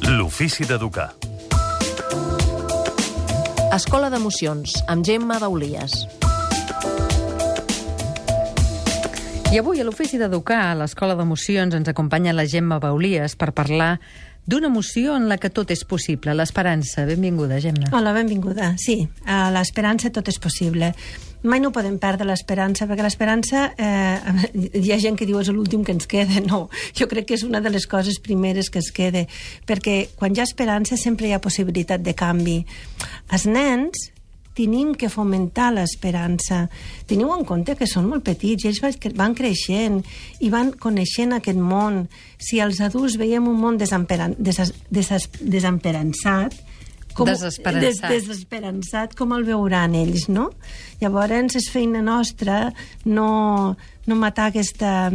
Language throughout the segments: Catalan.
L'ofici d'educar. Escola d'Emocions, amb Gemma Baulies. I avui a l'Ofici d'Educar, a l'Escola d'Emocions, ens acompanya la Gemma Baulies per parlar d'una emoció en la que tot és possible, l'esperança. Benvinguda, Gemma. Hola, benvinguda. Sí, a l'esperança tot és possible. Mai no podem perdre l'esperança, perquè l'esperança, hi ha gent que diu és l'últim que ens queda. No, jo crec que és una de les coses primeres que es queda, perquè quan hi ha esperança sempre hi ha possibilitat de canvi. Els nens tenim que fomentar l'esperança. Teniu en compte que són molt petits i ells van creixent i van coneixent aquest món. Si els adults veiem un món desesperançat, com el veuran ells, no? Llavors és feina nostra no matar aquesta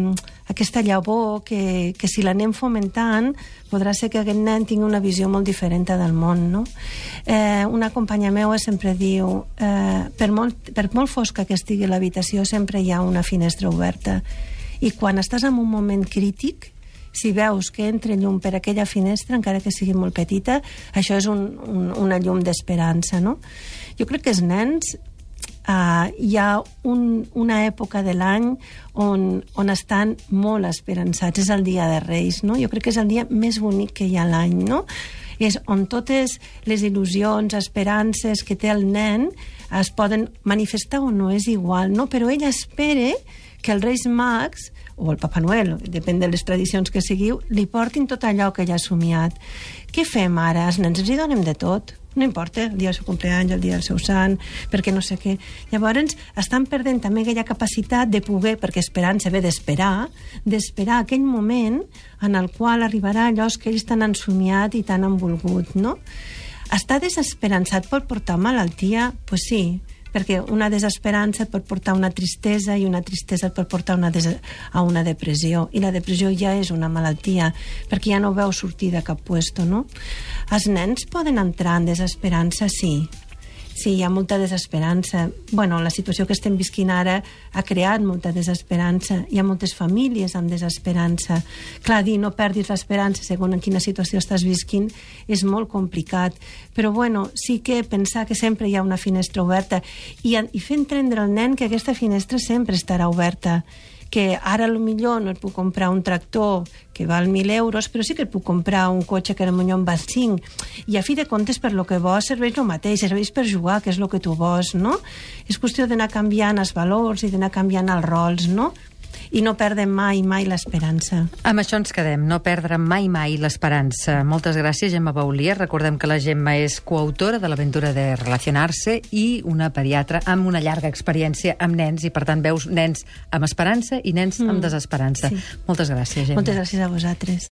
llavor que si l'anem fomentant podrà ser que aquest nen tingui una visió molt diferent del món, no? Una companya meva sempre diu per molt fosca que estigui l'habitació sempre hi ha una finestra oberta i quan estàs en un moment crític, si veus que entra llum per aquella finestra, encara que sigui molt petita, això és una llum d'esperança, no? Jo crec que els nens hi ha una època de l'any on estan molt esperançats, és el dia de Reis, no? Jo crec que és el dia més bonic que hi ha a l'any, no? És on totes les il·lusions, esperances que té el nen es poden manifestar o no, és igual, no? Però ell espera que els Reis Mags o el Papa Noel, depèn de les tradicions que seguiu, li portin tot allò que ell ha somiat. Què fem ara? Els nens ens hi donem de tot. No importa, el dia del seu cumpleaños, el dia del seu sant, perquè no sé què. Llavors, estan perdent també aquella capacitat de poder, perquè esperança ve d'esperar aquell moment en el qual arribarà allò que ells tan han somiat i tan han volgut, no? Estar desesperançat pot portar malaltia? Pues sí, perquè una desesperança et pot portar una tristesa i una tristesa et pot portar a una depressió, i la depressió ja és una malaltia perquè ja no veu sortir de cap puesto, no? Els nens poden entrar en desesperança, sí, hi ha molta desesperança. Bueno, la situació que estem visquint ara ha creat molta desesperança. Hi ha moltes famílies amb desesperança. Clar, dir no perdis l'esperança segons en quina situació estàs visquint és molt complicat. Però, bueno, sí que pensar que sempre hi ha una finestra oberta i fer entendre al nen que aquesta finestra sempre estarà oberta, que ara millor no et puc comprar un tractor que val 1.000 euros, però sí que et puc comprar un cotxe que potser en val 5. I a fi de comptes, per lo que vols, serveix el mateix, serveix per jugar, que és el que tu vols, no? És qüestió d'anar canviant els valors i d'anar canviant els rols, no? I no perdem mai l'esperança. Amb això ens quedem, no perdre mai l'esperança. Moltes gràcies, Gemma Baulies. Recordem que la Gemma és coautora de l'aventura de Relacionar-se i una pediatra amb una llarga experiència amb nens, i per tant veus nens amb esperança i nens amb desesperança. Sí. Moltes gràcies, Gemma. Moltes gràcies a vosaltres.